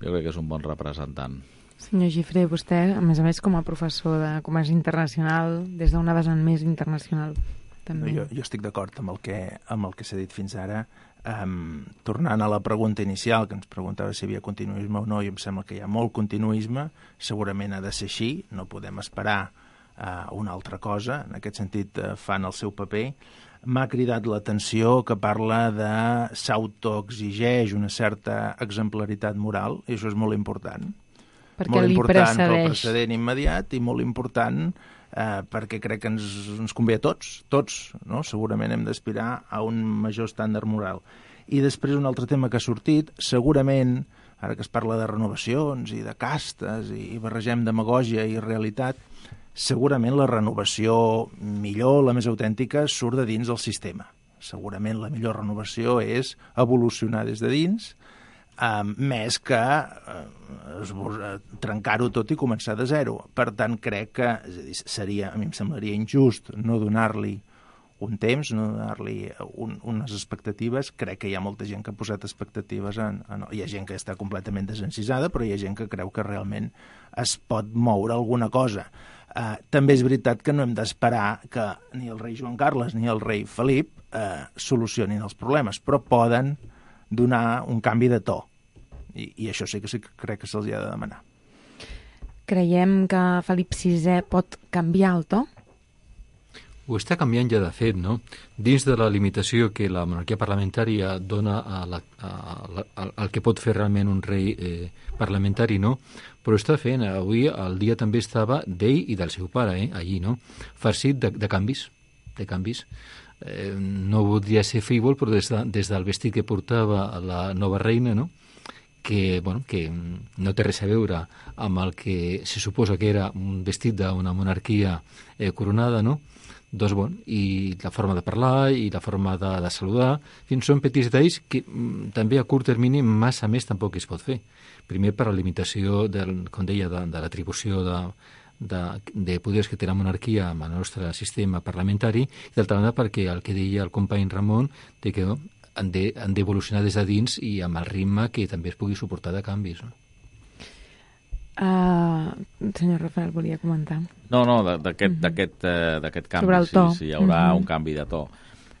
Jo crec que és un bon representant. Senyor Gifré, vostè, a més, com a professor de comerç internacional, des d'una vessant més internacional, també. Jo estic d'acord amb el que s'ha dit fins ara. Tornant a la pregunta inicial, que ens preguntava si hi havia continuisme o no, i em sembla que hi ha molt continuisme, segurament ha de ser així, no podem esperar una altra cosa, en aquest sentit fan el seu paper. M'ha cridat l'atenció que parla de s'autoexigeix una certa exemplaritat moral, i això és molt important. Perquè molt li important precedeix. pel precedent immediat i molt important perquè crec que ens convé a tots, no? Segurament hem d'aspirar a un major estàndard moral. I després un altre tema que ha sortit, segurament, ara que es parla de renovacions i de castes i barregem demagògia i realitat, segurament la renovació millor, la més autèntica, surt de dins del sistema. Segurament la millor renovació és evolucionar des de dins, més que trencar-ho tot i començar de zero. Per tant, crec que a mi em semblaria injust no donar-li un temps, no donar-li unes expectatives. Crec que hi ha molta gent que ha posat expectatives hi ha gent que està completament desencisada, però hi ha gent que creu que realment es pot moure alguna cosa. També és veritat que no hem d'esperar que ni el rei Joan Carles ni el rei Felip solucionin els problemes, però poden donar un canvi de to. I això sí que crec que se'ls ha de demanar. Creiem que Felip VI pot canviar el to? Ho està canviant ja de fet, no? Dins de la limitació que la monarquia parlamentària dona al que pot fer realment un rei parlamentari, no? Però està fent, avui el dia també estava d'ell i del seu pare, allí, no? Farcit de canvis, no voldria ser frívol, però des del vestit que portava la nova reina, no? Que no té res a veure amb el que se suposa que era un vestit d'una monarquia coronada, no? Doncs, i la forma de parlar i la forma de saludar, fins són petits detalls que també a curt termini massa més tampoc es pot fer. Primer per la limitació, com deia, de l'atribució de poders que té la monarquia amb el nostre sistema parlamentari, i d'altra banda perquè el que deia el company Ramon, de que han d'evolucionar des de dins i amb el ritme que també es pugui suportar de canvis. No? Senyor Rafael, volia comentar. No, d'aquest canvi, sobre el to. Si hi haurà un canvi de to.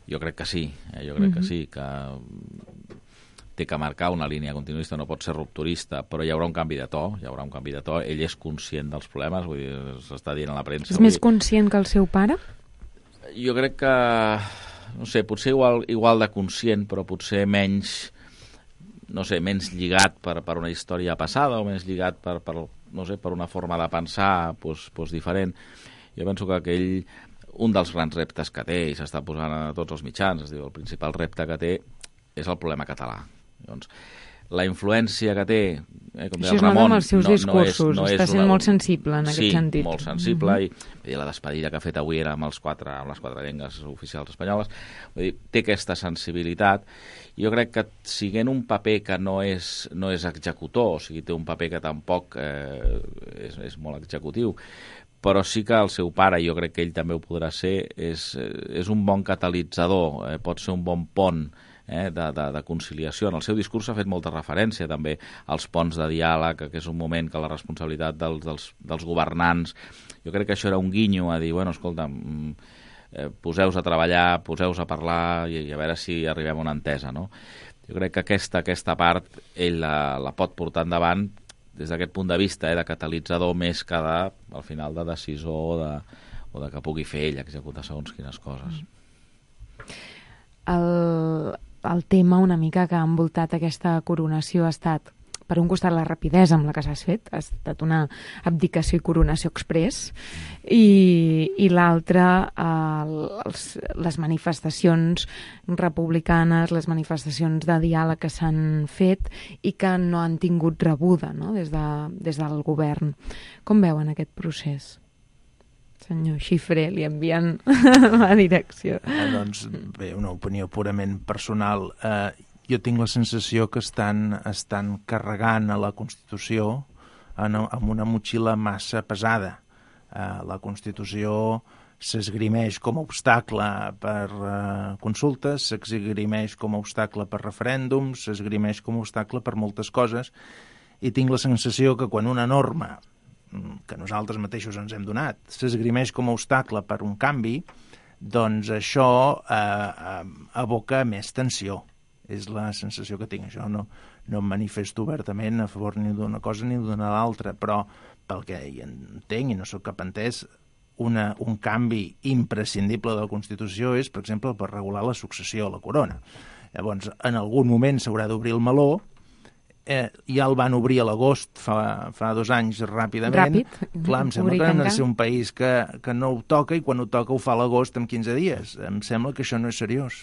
Jo crec que sí, que sí, que té que marcar una línia continuista, no pot ser rupturista, però hi haurà un canvi de to, ell és conscient dels problemes, vull dir, s'està dient a la premsa. És més conscient que el seu pare? Jo crec que, no sé, potser igual de conscient, però potser menys, no sé, menys lligat per una història passada o menys lligat per una forma de pensar diferent. Jo penso que un dels grans reptes que té, i s'està posant a tots els mitjans, es diu, el principal repte que té és el problema català. Llavors, la influència que té, com deia Això el es nota Ramon, amb els seus discursos, està sent molt sensible en aquest sentit. Sí, molt sensible, i la despedida que ha fet avui era amb les quatre llengües oficials espanyoles. Vull dir, té aquesta sensibilitat. Jo crec que siguent un paper que no és executor, o sigui, té un paper que tampoc és molt executiu, però sí que el seu pare, jo crec que ell també ho podrà ser, és un bon catalitzador, pot ser un bon pont de conciliació. En el seu discurs s'ha fet molta referència també als ponts de diàleg, que és un moment que la responsabilitat dels governants, jo crec que això era un guinyo a dir, bueno, escolta, poseu-vos a treballar, poseu-vos a parlar i a veure si arribem a una entesa, no? Jo crec que aquesta part ell la pot portar endavant des d'aquest punt de vista, de catalitzador més que al final de decisor o de que pugui fer ell executar segons quines coses. El tema una mica que ha envoltat aquesta coronació ha estat, per un costat, la rapidesa amb la que s'ha fet, ha estat una abdicació i coronació express, i l'altre, les manifestacions republicanes, les manifestacions de diàleg que s'han fet i que no han tingut rebuda, no?, des del govern. Com veuen aquest procés? Senyor Xifré, li envien la direcció. Doncs bé, una opinió purament personal. Jo tinc la sensació que estan carregant a la Constitució amb una motxilla massa pesada. La Constitució s'esgrimeix com a obstacle per consultes, s'esgrimeix com a obstacle per referèndums, s'esgrimeix com a obstacle per moltes coses, i tinc la sensació que quan una norma que nosaltres mateixos ens hem donat s'esgrimeix com a obstacle per un canvi, doncs això aboca més tensió. És la sensació que tinc. Això no em manifesto obertament a favor ni d'una cosa ni d'una l'altra, però pel que hi entenc i no sóc cap entès, un canvi imprescindible de la Constitució és, per exemple, per regular la successió a la corona. Llavors, en algun moment s'haurà d'obrir el meló, ja el van obrir a l'agost fa 2 anys ràpidament. Ràpid. Clar, em sembla que hem de ser un país que no ho toca, i quan ho toca ho fa a l'agost en 15 dies. Em sembla que això no és seriós.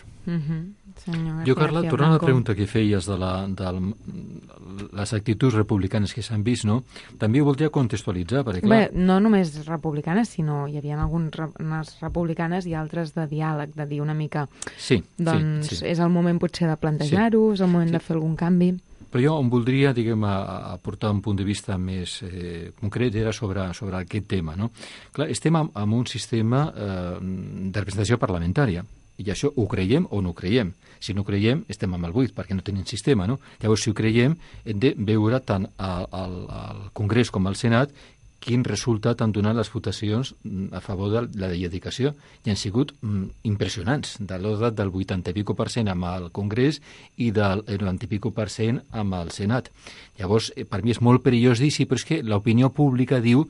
Jo, Carla, tornant a la pregunta que feies de les actituds republicanes que s'han vist, no? També ho voldria contextualitzar, perquè clar... Bé, no només republicanes, sinó hi havia algunes republicanes i altres de diàleg, de dir una mica... Sí, doncs és el moment potser de plantejar-ho, és el moment de fer algun canvi... Però jo em voldria, diguem, aportar un punt de vista més concret, era sobre aquest tema, no? Clar, estem en un sistema de representació parlamentària, i això ho creiem o no ho creiem. Si no ho creiem, estem amb el buit, perquè no tenim sistema, no? Llavors, si ho creiem, hem de veure tant al Congrés com al Senat quin resultat han donat les votacions a favor de la dedicació. I han sigut impressionants, de l'ordre del 80 i % amb el Congrés i del 90 i % amb el Senat. Llavors, per mi és molt perillós dir, sí, però és que l'opinió pública diu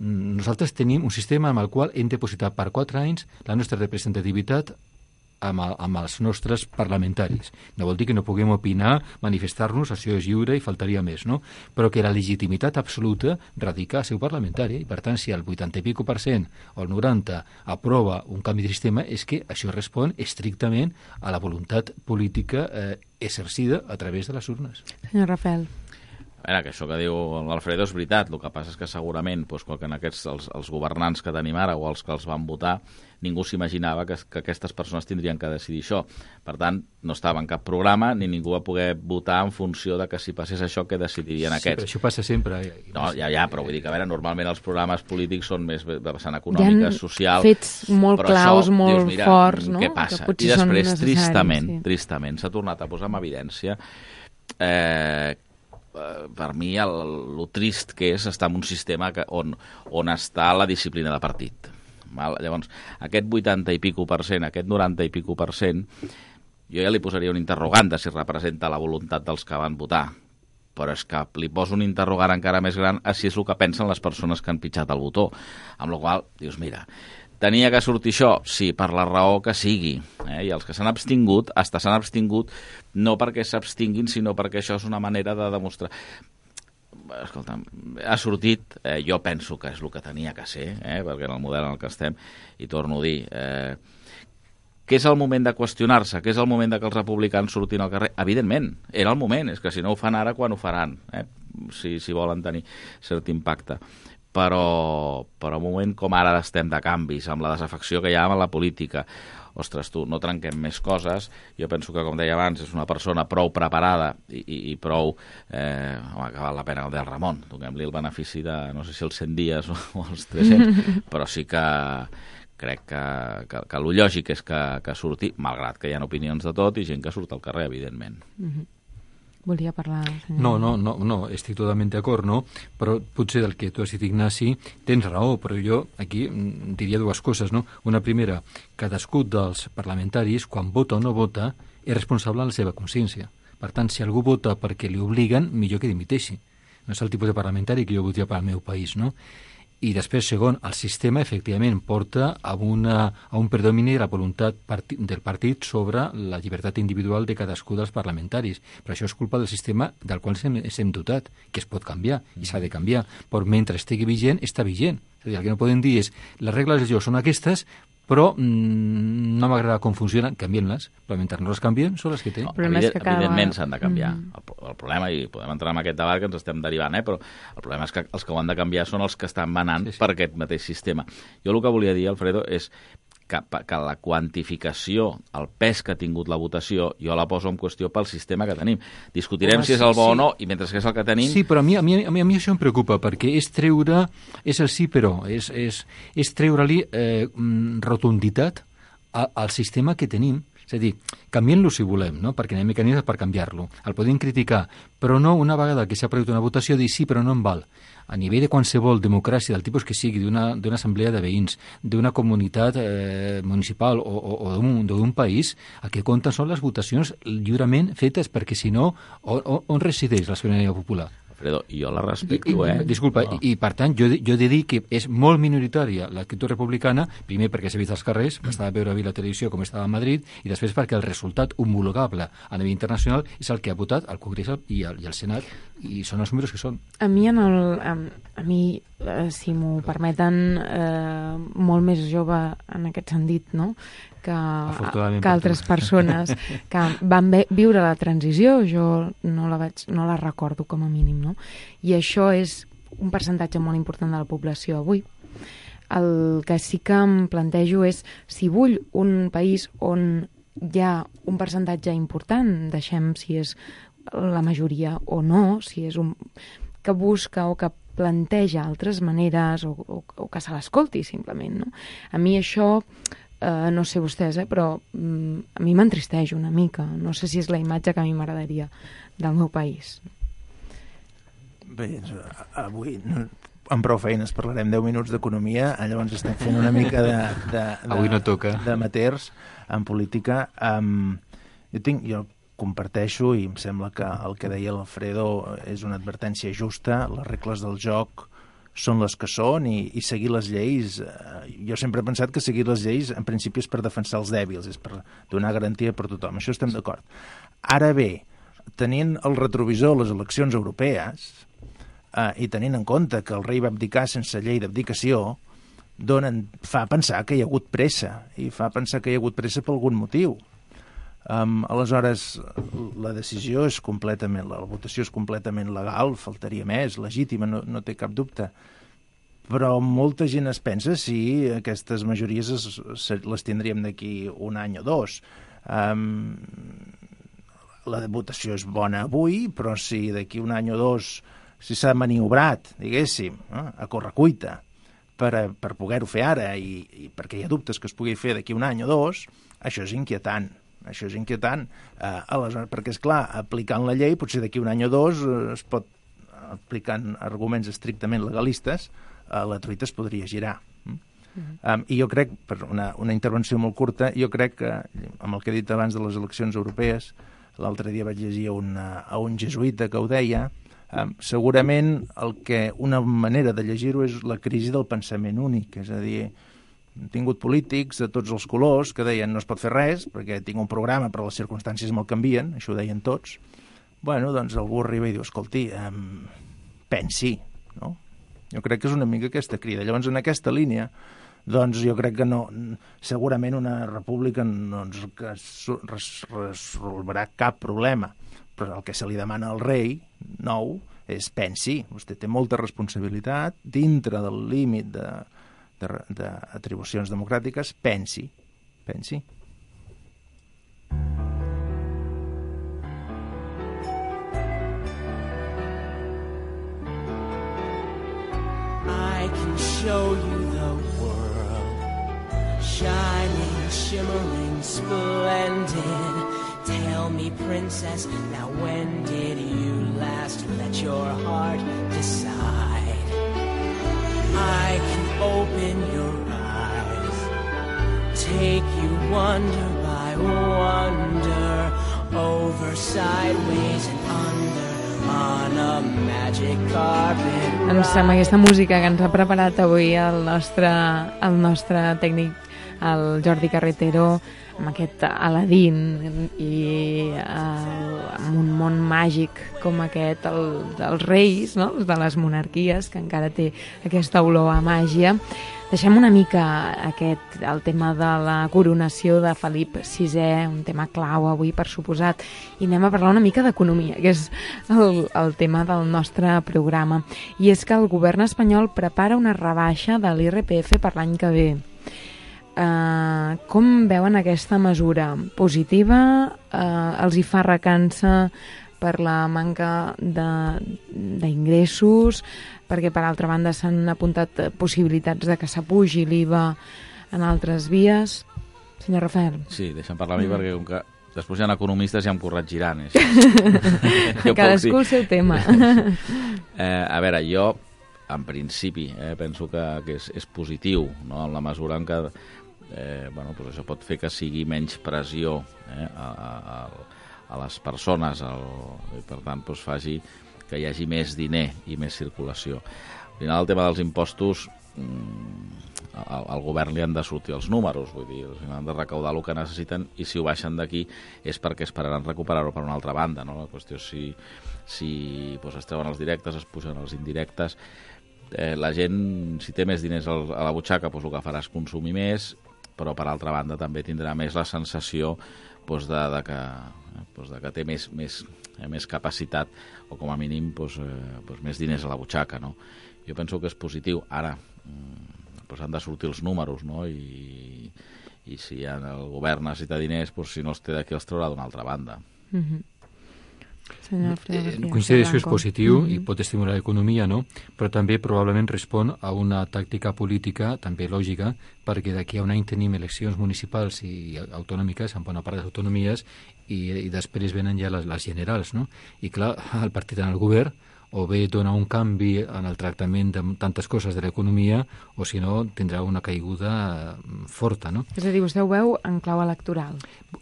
nosaltres tenim un sistema amb el qual hem depositat per 4 anys la nostra representativitat amb els nostres parlamentaris. No vol dir que no puguem opinar, manifestar-nos, això és lliure i faltaria més, no? Però que la legitimitat absoluta radica a seu parlamentari, i per tant, si el 80 i % o el 90% aprova un canvi de sistema, és que això respon estrictament a la voluntat política exercida a través de les urnes. Senyor Rafael. A veure, que això que diu l'Alfredo és veritat, el que passa és que segurament que en els governants que tenim ara o els que els van votar, ningú s'imaginava que aquestes persones tindrien que decidir això. Per tant, no estava en cap programa ni ningú va poder votar en funció de que si passés això, què decidirien aquests. Sí, però això passa sempre. No, ja, però vull dir que, a veure, normalment els programes polítics són més de vessant econòmica, social... fets molt claus, això, molt dius, mira, forts, no? Què passa? I després, tristament, s'ha tornat a posar en evidència per mi el trist que és estar en un sistema on està la disciplina de partit. Llavors, aquest 80 i pico %, aquest 90 i pico %, jo ja li posaria un interrogant de si representa la voluntat dels que van votar, però és que li poso un interrogant encara més gran a si és el que pensen les persones que han pitjat el botó, amb la qual cosa dius, mira, tenia que sortir això? Sí, per la raó que sigui. I els que s'han abstingut, s'han abstingut no perquè s'abstinguin, sinó perquè això és una manera de demostrar... Escolta, ha sortit, jo penso que és el que tenia que ser, perquè en el model en el que estem, i torno a dir, que és el moment de qüestionar-se, que és el moment de que els republicans surtin al carrer. Evidentment, era el moment, és que si no ho fan ara, quan ho faran, si volen tenir cert impacte. Però un moment com ara estem de canvis, amb la desafecció que hi ha amb la política, ostres, tu, no trenquem més coses. Jo penso que, com deia abans, és una persona prou preparada i prou... que val la pena el del Ramon. Donem-li el benefici de, no sé si els 100 dies o els 300, però sí que crec que el lògic és que surti, malgrat que hi ha opinions de tot i gent que surt al carrer, evidentment. Volia parlar... No, estic totalment d'acord, no? Però potser del que tu has dit, Ignasi, tens raó, però jo aquí diria dues coses, no? Una primera, cadascú dels parlamentaris, quan vota o no vota, és responsable de la seva consciència. Per tant, si algú vota perquè li obliguen, millor que dimiteixi. No és el tipus de parlamentari que jo votaria per al meu país, no? I després, segon, el sistema efectivament porta a un predomini de la voluntat del partit sobre la llibertat individual de cadascú dels parlamentaris. Però això és culpa del sistema del qual s'hem dotat, que es pot canviar i s'ha de canviar. Però mentre estigui vigent, està vigent. És a dir, el que no podem dir és les regles del joc són aquestes, però no m'agrada com funcionen, canvien-les, però mentre no les canvien són les que tenen. Evidentment s'han de canviar. El problema, i podem entrar en aquest debat que ens estem derivant, però el problema és que els que ho han de canviar són els que estan manant per aquest mateix sistema. Jo el que volia dir, Alfredo, és que la quantificació, el pes que ha tingut la votació, jo la poso en qüestió pel sistema que tenim. Discutirem si és el bo o no, i mentre que és el que tenim... Sí, però a mi això em preocupa, perquè és el sí però, és treure-li rotunditat al sistema que tenim. És a dir, canviem-lo si volem, no? Perquè hi ha mecanismes per canviar-lo. El podem criticar, però no una vegada que s'ha produït una votació dir sí, però no em val. A nivell de qualsevol democràcia del tipus que sigui, d'una assemblea de veïns, d'una comunitat municipal o d'un país, el que compten són les votacions lliurement fetes, perquè si no, on resideix la sobirania popular? Alfredo, jo la respecto, Disculpa, i per tant, jo he de dir que és molt minoritària l'actitud republicana, primer perquè s'ha vist als carrers, bastava veure la televisió com estava a Madrid, i després perquè el resultat homologable a nivell internacional és el que ha votat el Congrés i el Senat, i són els números que són. A mi, si m'ho permeten, molt més jove en aquest sentit, no?, que altres persones que van viure la transició, jo no la recordo com a mínim, no? I això és un percentatge molt important de la població avui. El que sí que em plantejo és si vull un país on hi ha un percentatge important, deixem si és la majoria o no, si és un que busca o que planteja altres maneres o que se l'escolti simplement, no? A mi això... no sé vostès, però a mi m'entristeix una mica. No sé si és la imatge que a mi m'agradaria del meu país. Bé, avui amb prou feines parlarem 10 minuts d'economia, llavors estem fent una mica avui no toca. D'amateurs en política. Jo comparteixo i em sembla que el que deia l'Alfredo és una advertència justa. Les regles del joc són les que són i seguir les lleis... Jo sempre he pensat que seguir les lleis en principi és per defensar els dèbils, és per donar garantia per tothom. Això estem d'acord. Ara bé, tenint el retrovisor les eleccions europees i tenint en compte que el rei va abdicar sense llei d'abdicació, fa pensar que hi ha hagut pressa, i fa pensar que hi ha hagut pressa per algun motiu. Aleshores, la decisió és completament, la votació és completament legal, faltaria més, legítima, no té cap dubte. Però molta gent es pensa si aquestes majories les tindríem d'aquí un any o dos. La votació és bona avui, però si d'aquí un any o dos si s'ha maniobrat, diguéssim, a correcuita per poder-ho fer ara i perquè hi ha dubtes que es pugui fer d'aquí un any o dos, això és inquietant. Això és inquietant, aleshores, perquè, esclar, aplicant la llei, potser d'aquí un any o dos es pot, aplicant arguments estrictament legalistes, la truita es podria girar. I jo crec, per una intervenció molt curta, jo crec que, amb el que he dit abans de les eleccions europees, l'altre dia vaig llegir a un jesuïta que ho deia, segurament una manera de llegir-ho és la crisi del pensament únic, és a dir, hem tingut polítics de tots els colors que deien no es pot fer res perquè tinc un programa però les circumstàncies me'l canvien, això ho deien tots. Bueno, doncs algú arriba i diu, escolti, pensi, no? Jo crec que és una mica aquesta crida. Llavors, en aquesta línia, doncs jo crec que no, segurament una república no ens resolverà cap problema, però el que se li demana al rei nou és pensi, vostè té molta responsabilitat dintre del límit d'atribucions democràtiques, pensi. I can show you the world, shining, shimmering, splendid. Tell me, princess, now when did you last let your heart decide? I can open your eyes, take you wonder by wonder, over, sideways and under, on a magic carpet ride. Ens sembla aquesta música que ens ha preparat avui el nostre tècnic, el Jordi Carretero, amb aquest Aladín i amb un món màgic com aquest, dels reis, no? De les monarquies, que encara té aquesta olor a màgia. Deixem una mica el tema de la coronació de Felip VI, un tema clau avui, per suposat, i anem a parlar una mica d'economia, que és el tema del nostre programa. I és que el govern espanyol prepara una rebaixa de l'IRPF per l'any que ve. Com veuen aquesta mesura? Positiva? Els hi fa recança per la manca d'ingressos? Perquè, per altra banda, s'han apuntat possibilitats de que s'apugi l'IVA en altres vies. Senyor Rafael. Sí, deixa'm parlar a mi perquè com que després hi ha economistes ja em corregiran. Cadascú el seu tema. A veure, jo en principi penso que és positiu, no? En la mesura en què doncs això pot fer que sigui menys pressió a les persones i per tant doncs faci que hi hagi més diner i més circulació. Al final el tema dels impostos al govern li han de sortir els números, vull dir, han de recaudar el que necessiten i si ho baixen d'aquí és perquè esperaran recuperar-ho per una altra banda, no? La qüestió és si es treuen els directes, es pugen els indirectes. La gent, si té més diners a la butxaca, el que farà és consumir més, però per altra banda també tindrà més la sensació de que té més capacitat o com a mínim més diners a la butxaca, no? Jo penso que és positiu. Ara han de sortir els números, no? I si el govern necessita diners, si no els té d'aquí els traurà d'una altra banda. Coincideixo, és positiu i pot estimular l'economia, no? Però també probablement respon a una tàctica política també lògica, perquè d'aquí a un any tenim eleccions municipals i autonòmiques en bona part de les autonomies i després venen ja les generals, no? I clar, el partit en el govern o bé dona un canvi en el tractament de tantes coses de l'economia o si no tindrà una caiguda forta, no? És a dir, vostè ho veu en clau electoral?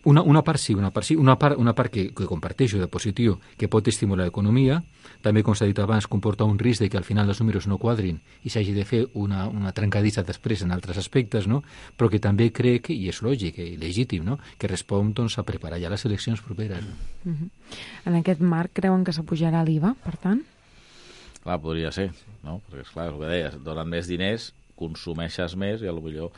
Una part sí, una part que comparteixo de positiu, que pot estimular l'economia, també com s'ha dit abans comporta un risc de que al final els números no quadrin i s'hagi de fer una trencadissa després en altres aspectes, no? Però que també crec, i és lògic i legítim, no? Que respon a preparar ja les eleccions properes. En aquest marc creuen que s'apujarà l'IVA, per tant? Clar, podria ser, no? Perquè, esclar, és el que deies, donen més diners, consumeixes més i potser...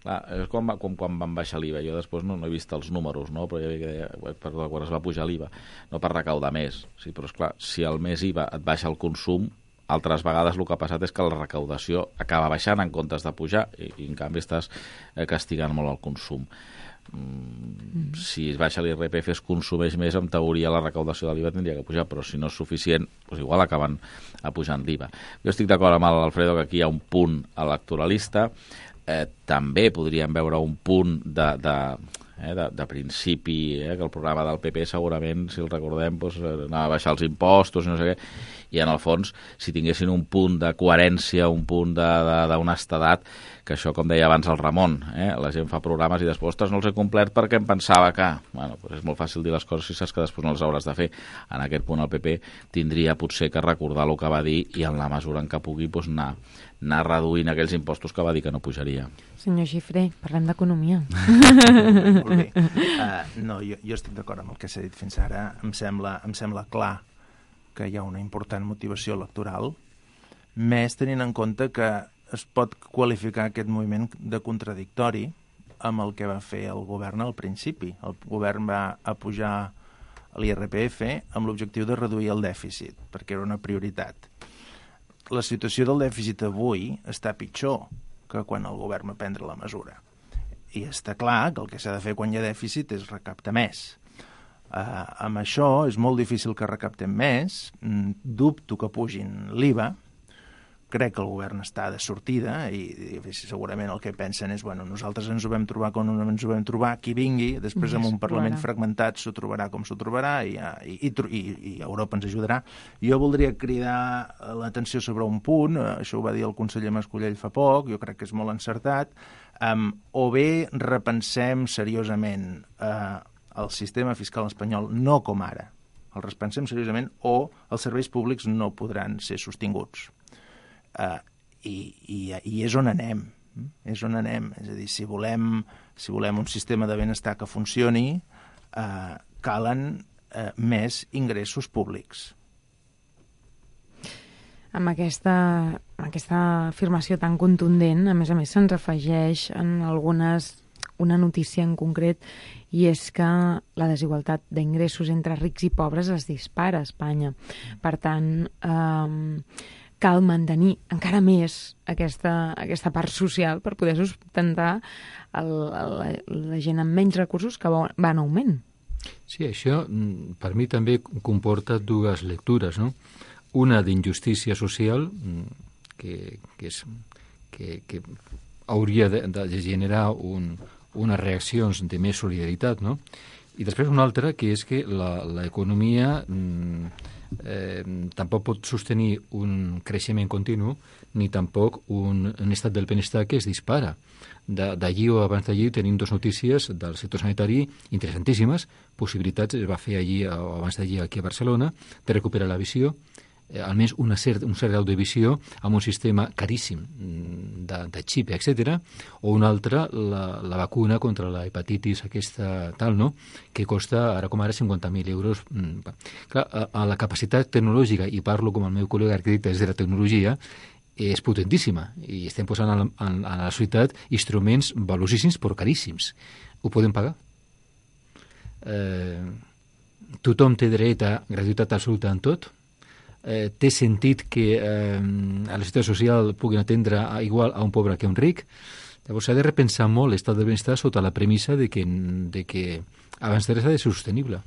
Clar, és com quan van baixar l'IVA. Jo després no he vist els números, no? Però ja deia, quan es va pujar l'IVA, no per recaudar més. Sí, però, esclar, si el més IVA et baixa el consum, altres vegades el que ha passat és que la recaudació acaba baixant en comptes de pujar i en canvi estàs castigant molt el consum. Si es baixa l'IRPF es consumeix més, en teoria la recaudació de l'IVA tindria que pujar, però si no és suficient, doncs igual acaben pujant l'IVA. Jo estic d'acord amb l'Alfredo que aquí hi ha un punt electoralista, també podríem veure un punt de principi, que el programa del PP segurament, si el recordem, anava a baixar els impostos i no sé què, i en el fons, si tinguessin un punt de coherència, un punt d'honestedat, que això, com deia abans el Ramon, la gent fa programes i després no els he complert perquè em pensava que... Bueno, és molt fàcil dir les coses si saps que després no les hauràs de fer. En aquest punt el PP tindria potser que recordar el que va dir i en la mesura en què pugui anar reduint aquells impostos que va dir que no pujaria. Senyor Xifré, parlem d'economia. Molt bé. No, jo estic d'acord amb el que s'ha dit fins ara. Em sembla clar que hi ha una important motivació electoral, més tenint en compte que es pot qualificar aquest moviment de contradictori amb el que va fer el govern al principi. El govern va apujar l'IRPF amb l'objectiu de reduir el dèficit, perquè era una prioritat. La situació del dèficit avui està pitjor que quan el govern va prendre la mesura. I està clar que el que s'ha de fer quan hi ha dèficit és recaptar més. Amb això és molt difícil que recaptem més, dubto que pugin l'IVA, crec que el govern està de sortida i segurament el que pensen és nosaltres ens ho vam trobar com ens ho vam trobar, qui vingui, després amb un Parlament fragmentat s'ho trobarà com s'ho trobarà i Europa ens ajudarà. Jo voldria cridar l'atenció sobre un punt, això ho va dir el conseller Mascolell fa poc, jo crec que és molt encertat, o bé repensem seriosament el sistema fiscal espanyol, no com ara, el repensem seriosament, o els serveis públics no podran ser sostinguts. I és on anem, és a dir, si volem un sistema de benestar que funcioni, calen més ingressos públics. Amb aquesta afirmació tan contundent, a més se'ns afegeix en una notícia en concret, i és que la desigualtat d'ingressos entre rics i pobres es dispara a Espanya. Per tant, cal mantenir encara més aquesta part social per poder sustentar la gent amb menys recursos que va en augment. Sí, això per mi també comporta dues lectures, no? Una d'injustícia social que hauria de generar unes reaccions de més solidaritat, no? I després una altra, que és que l'economia tampoc pot sostenir un creixement continu ni tampoc un estat del benestar que es dispara. D'allí o abans d'allí tenim dues notícies del sector sanitari interessantíssimes, possibilitats, es va fer allí o abans d'allí aquí a Barcelona, de recuperar la visió, almenys un cert grau de visió amb un sistema caríssim de xip, etc. O una altra, la vacuna contra la hepatitis aquesta tal, no?, que costa ara com ara 50.000 euros. Clar, a la capacitat tecnològica, i parlo com el meu col·lega arquitecte és de la tecnologia, és potentíssima i estem posant a la societat instruments valuosíssims però caríssims. Ho podem pagar? Tothom té dret a gratuïtat absoluta en tot? Té sentit que a la societat social puguin atendre igual a un pobre que a un ric? Llavors s'ha de repensar molt l'estat del benestar sota la premissa de que abans de res ha de ser sostenible.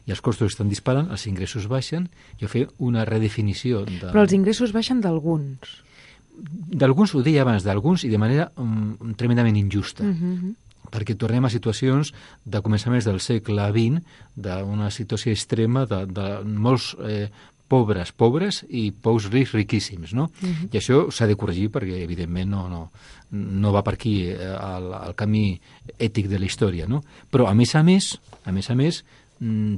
I els costos estan disparant, els ingressos baixen, jo fer una redefinició de... Però els ingressos baixen d'alguns. D'alguns, ho deia abans, d'alguns i de manera tremendament injusta. Perquè tornem a situacions de començaments del segle XX, d'una situació extrema de molts pobres i pocs rics riquíssims, no? I això s'ha de corregir perquè, evidentment, no va per aquí el camí ètic de la història, no? Però, a més a més,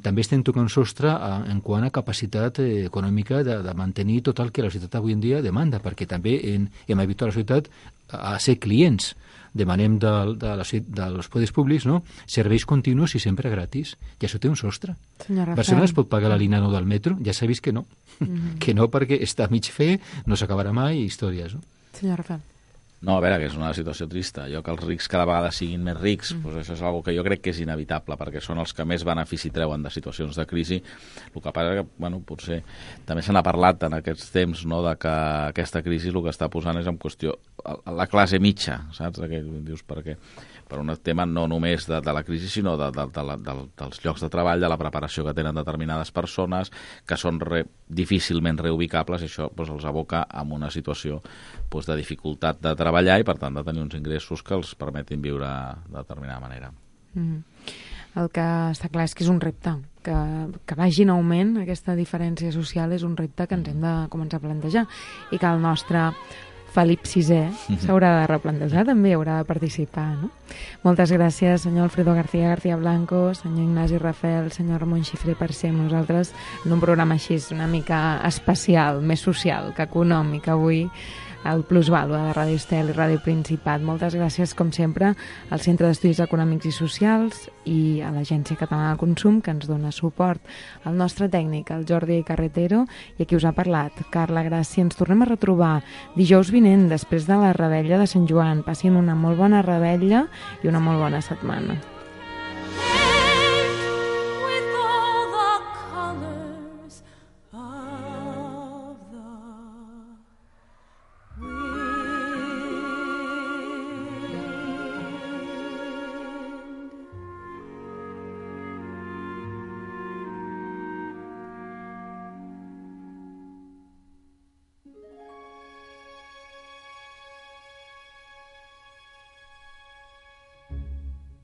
també estem tocant sostre en quant a capacitat econòmica de mantenir tot el que la societat avui en dia demanda, perquè també hem habituat la societat a ser clients. Demanem dels poders públics, no?, serveis continus i sempre gratis. I això té un sostre. Barcelona es pot pagar la línia 9 del metro? Ja s'ha vist que no. Que no, perquè està a mig fer, no s'acabarà mai, històries. No? Senyor Rafael. No, a veure, que és una situació trista. Jo que els rics cada vegada siguin més rics, doncs això és una cosa que jo crec que és inevitable, perquè són els que més benefici treuen de situacions de crisi. El que passa que, potser també se n'ha parlat en aquests temps, no?, de que aquesta crisi el que està posant és en qüestió la classe mitja, saps? Que dius, perquè per un tema no només de la crisi, sinó dels llocs de treball, de la preparació que tenen determinades persones, que són difícilment reubicables, i això els aboca en una situació de dificultat de treballar i, per tant, de tenir uns ingressos que els permetin viure de determinada manera. El que està clar és que és un repte. Que vagi en augment aquesta diferència social és un repte que ens hem de començar a plantejar i que el nostre Felip VI s'haurà de replantejar, també haurà de participar, no? Moltes gràcies, senyor Alfredo García Blanco, senyor Ignasi Rafel, senyor Ramon Xifré, per ser amb nosaltres en un programa així una mica especial, més social que econòmic avui, el Plusvàlua de Ràdio Estel i Ràdio Principat. Moltes gràcies, com sempre, al Centre d'Estudis Econòmics i Socials i a l'Agència Catalana de Consum, que ens dona suport, al nostre tècnic, el Jordi Carretero, i a qui us ha parlat, Carla Gràcia. Ens tornem a retrobar dijous vinent, després de la Revetlla de Sant Joan. Passin una molt bona Revetlla i una molt bona setmana. With all the colors of